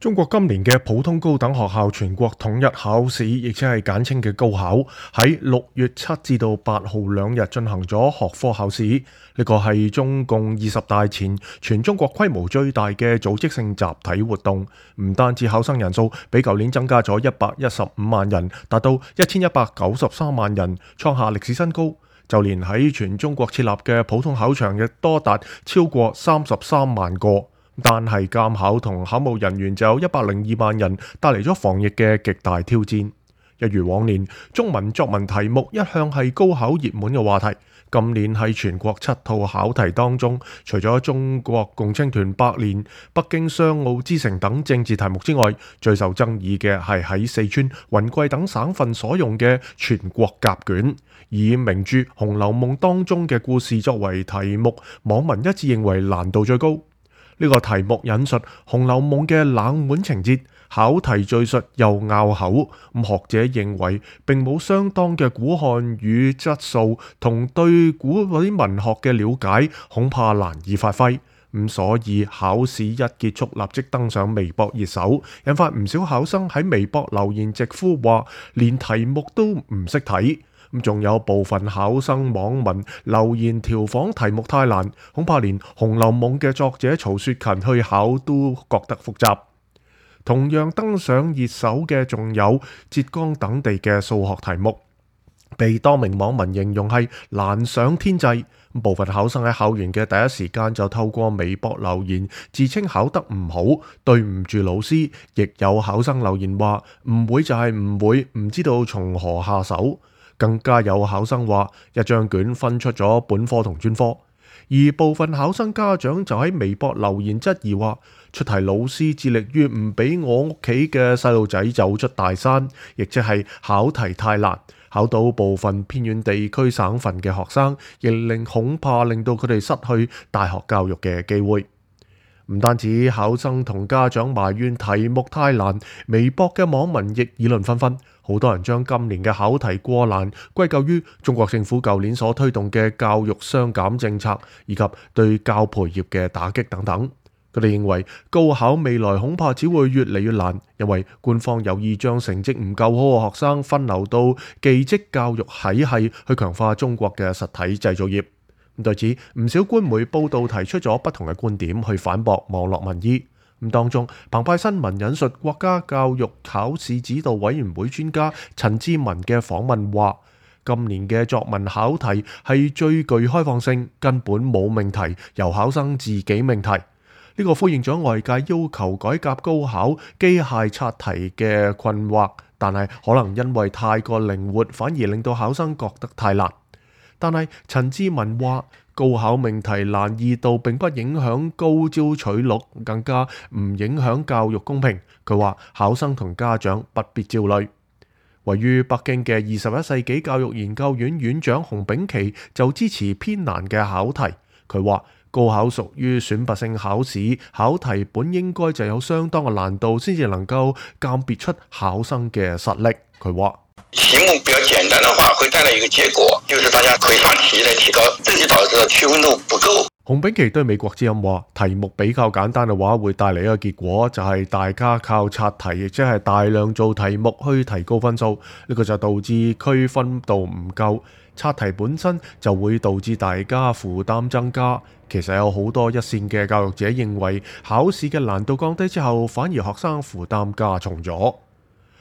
中國今年嘅普通高等學校全國統一考試，亦即係簡稱嘅高考，喺6月7至到8號2日進行咗學科考試。呢個係中共20大前全中國規模最大嘅組織性集體活動。唔單止考生人數比舊年增加咗115萬人，達到1193萬人，創下歷史新高。就連喺全中國設立嘅普通考場亦多達超過33萬個。但係監考同考務人員就有102萬人，帶嚟咗防疫嘅極大挑戰。一如往年，中文作文題目一向係高考熱門嘅話題。今年喺全國7套考題當中，除咗中國共青團百年、北京雙奧之城等政治題目之外，最受爭議嘅係喺四川、雲貴等省份所用嘅全國甲卷，以名著《紅樓夢》當中嘅故事作為題目，網民一致認為難度最高。呢個題目引述《紅樓夢》嘅冷門情節，考題敘述又拗口。學者認為並冇相當嘅古漢語質素同對古啲文學嘅了解，恐怕難以發揮。所以考試一結束，立即登上微博熱搜，引發唔少考生喺微博留言直呼話，連題目都唔識睇。仲有部分考生網民留言調侃題目太難，恐怕連《紅樓夢》嘅作者曹雪芹去考都覺得複雜。同樣登上熱搜嘅仲有浙江等地嘅數學題目，被多名網民形容係難上天際。部分考生喺考完嘅第一時間就透過微博留言，自稱考得唔好，對唔住老師。亦有考生留言話唔會就係唔會，唔知道從何下手。更加有考生話一張卷分出咗本科同專科。而部分考生家長就喺微博留言質疑話，出題老師致力於唔俾我屋企嘅細路仔走出大山，亦即係考題太難，考到部分偏遠地區省份嘅學生，亦恐怕令到佢哋失去大學教育嘅機會。唔單止考生同家長埋怨題目太難，微博嘅網民亦議論紛紛。好多人將今年嘅考題過難歸咎於中國政府舊年所推動嘅教育雙減政策，以及對教培業嘅打擊等等。佢哋認為高考未來恐怕只會越嚟越難，因為官方有意將成績唔夠好嘅學生分流到技職教育體系，去強化中國嘅實體製造業。對此，唔少官媒報道提出咗不同嘅觀點去反駁網絡民意。當中，澎湃新聞引述國家教育考試指導委員會專家陳志文嘅訪問話，今年嘅作文考題係最具開放性，根本冇命題，由考生自己命題。呢個呼應咗外界要求改革高考機械刷題嘅困惑，但係可能因為太過靈活，反而令到考生覺得太難。但係陳志文話，高考命題難易度並不影響高招取錄，更加唔影響教育公平。佢話考生同家長不必焦慮。位於北京嘅21世紀教育研究院院長洪炳琦就支持偏難嘅考題。佢話高考屬於選拔性考試，考題本應該就有相當嘅難度，先至能夠鑑別出考生嘅實力。佢話題目比較簡單的話，會帶來一個結果，就是大家會刷題來提高，這就導致區分度不夠。洪炳琦對美國之音話，題目比較簡單嘅話，會帶嚟一個結果，就係大家靠刷題，亦即係大量做題目去提高分數。呢個就導致區分度唔夠，刷題本身就會導致大家負擔增加。其實有好多一線嘅教育者認為，考試嘅難度降低之後，反而學生負擔加重咗。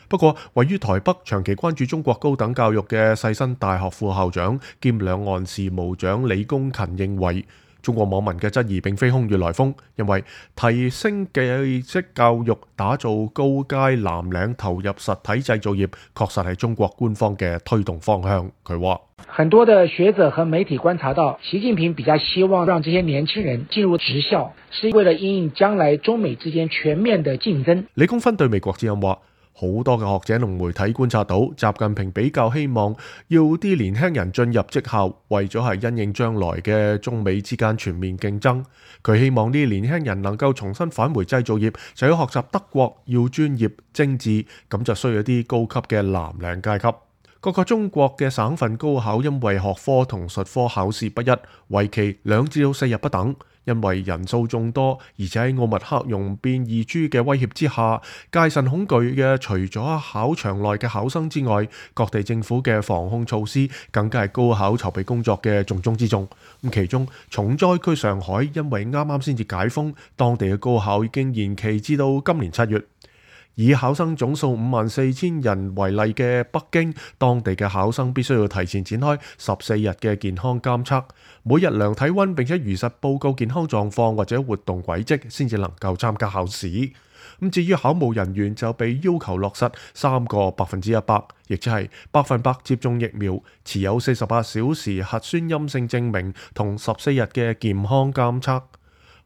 不過，位於台北長期關注中國高等教育嘅世新大學副校長兼兩岸事務長李公勤認為，中國網民嘅質疑並非空穴來風，因為提升技職教育、打造高階藍領、投入實體製造業，確實係中國官方嘅推動方向。佢話：很多的學者和媒體觀察到，習近平比較希望讓這些年輕人進入職校，是為了因應將來中美之間全面的競爭。李公芬對美國之音話：好多嘅學者同媒體觀察到，習近平比較希望要啲年輕人進入職校，為咗係因應將來嘅中美之間全面競爭。佢希望啲年輕人能夠重新返回製造業，就要學習德國，要專業精緻，咁就需要啲高級嘅藍領階級。各個中國嘅省份高考因為學科同術科考試不一，為期2至4日不等。因為人數眾多，而且喺奧密克戎變異株嘅威脅之下，戒慎恐懼嘅除咗考場內嘅考生之外，各地政府嘅防控措施更加係高考籌備工作嘅重中之重。咁其中重災區上海，因為啱啱先至解封，當地嘅高考已經延期至到今年7月。以考生總數54,000人為例嘅北京，當地嘅考生必須要提前展開14日嘅健康監測，每日量體溫並且如實報告健康狀況或者活動軌跡，先至能夠參加考試。咁至於考務人員就被要求落實3個100%，亦即係100%接種疫苗、持有48小時核酸陰性證明同14日嘅健康監測。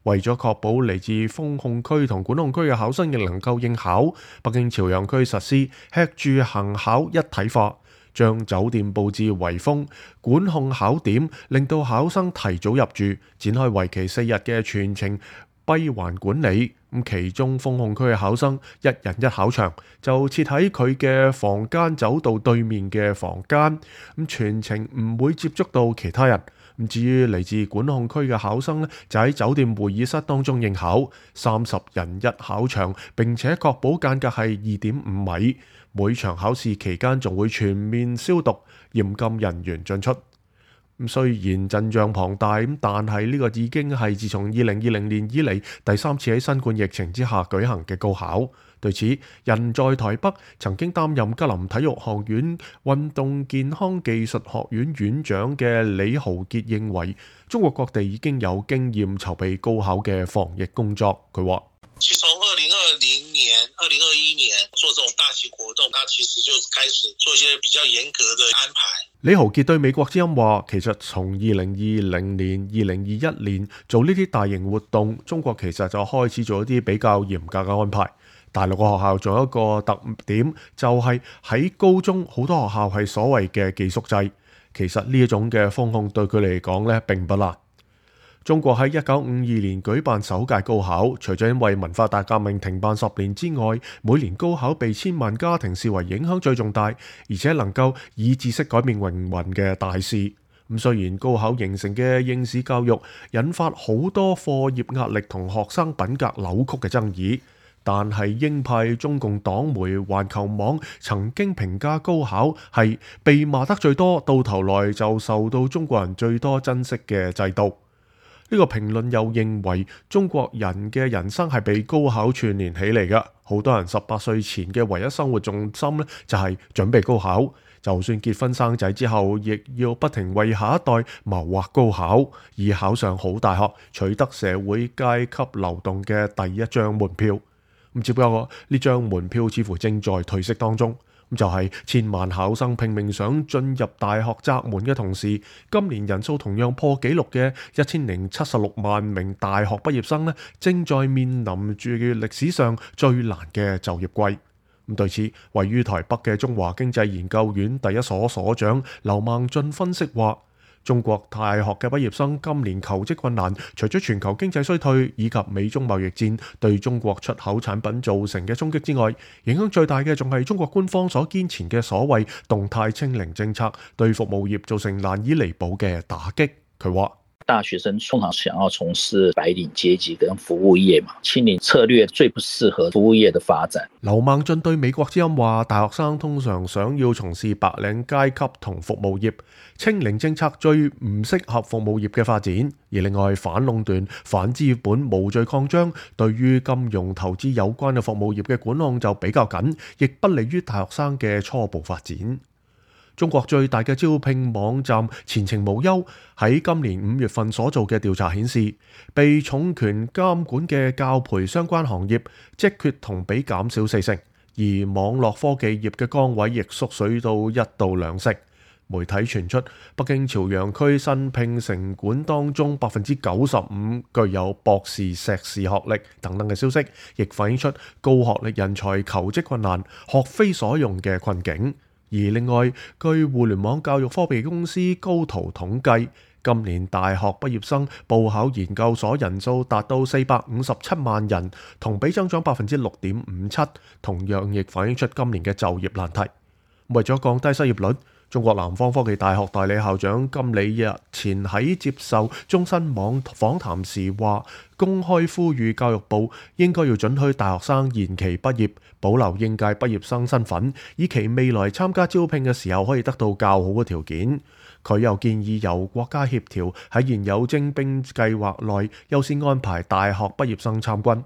為咗確保嚟自封控區同管控區嘅考生亦能夠應考，北京朝陽區實施吃住行考一體化，將酒店佈置圍封，管控考點，令到考生提早入住，展開為期4日嘅全程閉環管理。咁其中封控區嘅考生1人1考場，就設喺佢嘅房間走道對面嘅房間，咁全程唔會接觸到其他人。咁至於嚟自管控區嘅考生呢，就喺酒店會議室當中應考，30人1考場，並且確保間隔係2.5米。每場考試期間仲會全面消毒，嚴禁人員進出。咁雖然陣仗龐大，但係呢個已經係自從2020年以嚟第3次喺新冠疫情之下舉行嘅高考。對此，人在台北曾經擔任吉林體育學院運動健康技術學院院長嘅李豪傑認為，中國各地已經有經驗籌備高考嘅防疫工作。佢話：其實從2020年、2021年做這種大型活動，它其實就開始做一些比較嚴格的安排。李豪傑對美國之音話：其實從2020年、2021年做呢啲大型活動，中國其實就開始做一啲比較嚴格嘅安排。大陸嘅學校仲有一個特點，就係喺高中好多學校係所謂嘅寄宿制。其實呢一種嘅封控對佢嚟講呢並不難。中國喺1952年舉辦首屆高考，除咗因為文化大革命停辦10年之外，每年高考被千萬家庭視為影響最重大，而且能夠以知識改變命運嘅大事。咁雖然高考形成嘅應試教育引發好多課業壓力同學生品格扭曲嘅爭議，但係鷹派中共黨媒環球網曾經評價高考係被罵得最多，到頭來就受到中國人最多珍惜嘅制度。呢個評論又認為中國人嘅人生係被高考串聯起嚟嘅，好多人18歲前嘅唯一生活重心呢，就係準備高考，就算結婚生仔之後，亦要不停為下一代謀劃高考，以考上好大學，取得社會階級流動嘅第一張門票。咁只不過呢張門票似乎正在褪色當中，咁就係千萬考生拼命想進入大學窄門嘅同時，今年人數同樣破紀錄嘅1076萬名大學畢業生呢，正在面臨住歷史上最難嘅就業季。咁對此，位於台北嘅中華經濟研究院第一所所長劉孟俊分析話：中國大學嘅畢業生今年求職困難，除咗全球經濟衰退以及美中貿易戰對中國出口產品造成嘅衝擊之外，影響最大嘅仲係中國官方所堅持嘅所謂動態清零政策對服務業造成難以彌補嘅打擊。佢話：大學生通常想要從事白領階級跟服務業嘛，清零策略最不適合服務業的發展。劉孟俊對美國之音話：大學生通常想要從事白領階級同服務業，清零政策最唔適合服務業嘅發展。而另外反壟斷、反資本無序擴張，對於金融投資有關嘅服務業嘅管控就比較緊，亦不利於大學生嘅初步發展。中國最大嘅招聘網站前程無憂喺今年5月份所做嘅調查顯示，被重權監管嘅教培相關行業職缺同比減少40%，而網絡科技業嘅崗位亦縮水到1到2成。媒體傳出北京朝陽區新聘城管當中95%具有博士、碩士學歷等等嘅消息，亦反映出高學歷人才求職困難、學非所用嘅困境。而另外，據互聯網教育科技公司高途統計，今年大學畢業生報考研究所人數達到457萬人，同比增長6.57%，同樣亦反映出今年嘅就業難題。為咗降低失業率，中國南方科技大學代理校長金理日前喺接受中新網訪談時話，公開呼籲教育部應該要准許大學生延期畢業，保留應屆畢業生身份，以期未來參加招聘嘅時候可以得到較好嘅條件。佢又建議由國家協調喺現有徵兵計劃內優先安排大學畢業生參軍。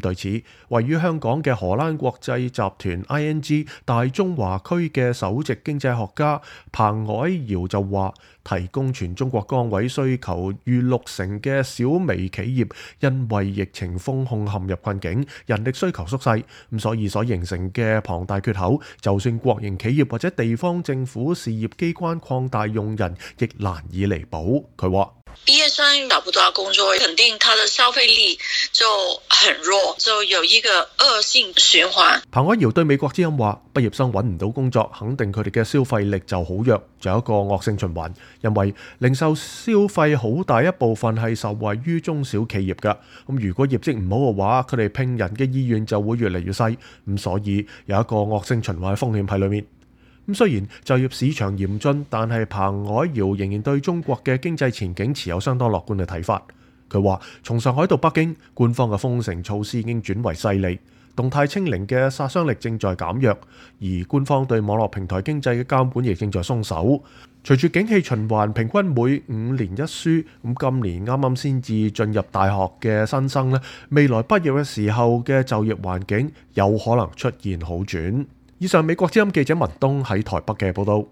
對此，位於香港嘅荷蘭國際集團 ING 大中華區嘅首席經濟學家彭藹堯就話，提供全中國崗位需求逾60%嘅小微企業，因為疫情封控陷入困境，人力需求縮細，所以所形成嘅龐大缺口，就算國營企業或者地方政府事業機關擴大用人，亦難以彌補。佢話：畢業生找不到工作，肯定他的消費力就很弱，就有一個惡性循環。彭藹堯對美國之音話：畢業生揾唔到工作，肯定佢哋嘅消費力就好弱，就有一個惡性循環。因為零售消費好大一部分係受惠於中小企業㗎，如果業績唔好嘅話，佢哋聘人嘅意願就會越嚟越細，所以有一個惡性循環風險喺裏面。雖然就業市場嚴峻，但係彭藹堯仍然對中國嘅經濟前景持有相當樂觀嘅睇法。佢話：從上海到北京，官方嘅封城措施已經轉為勢利，動態清零嘅殺傷力正在減弱，而官方對網絡平台經濟嘅監管亦正在鬆手。隨住景氣循環，平均每5年一輸，今年啱啱先至進入大學嘅新生呢，未來畢業嘅時候嘅就業環境有可能出現好轉。以上美國之音記者文東喺台北嘅報道。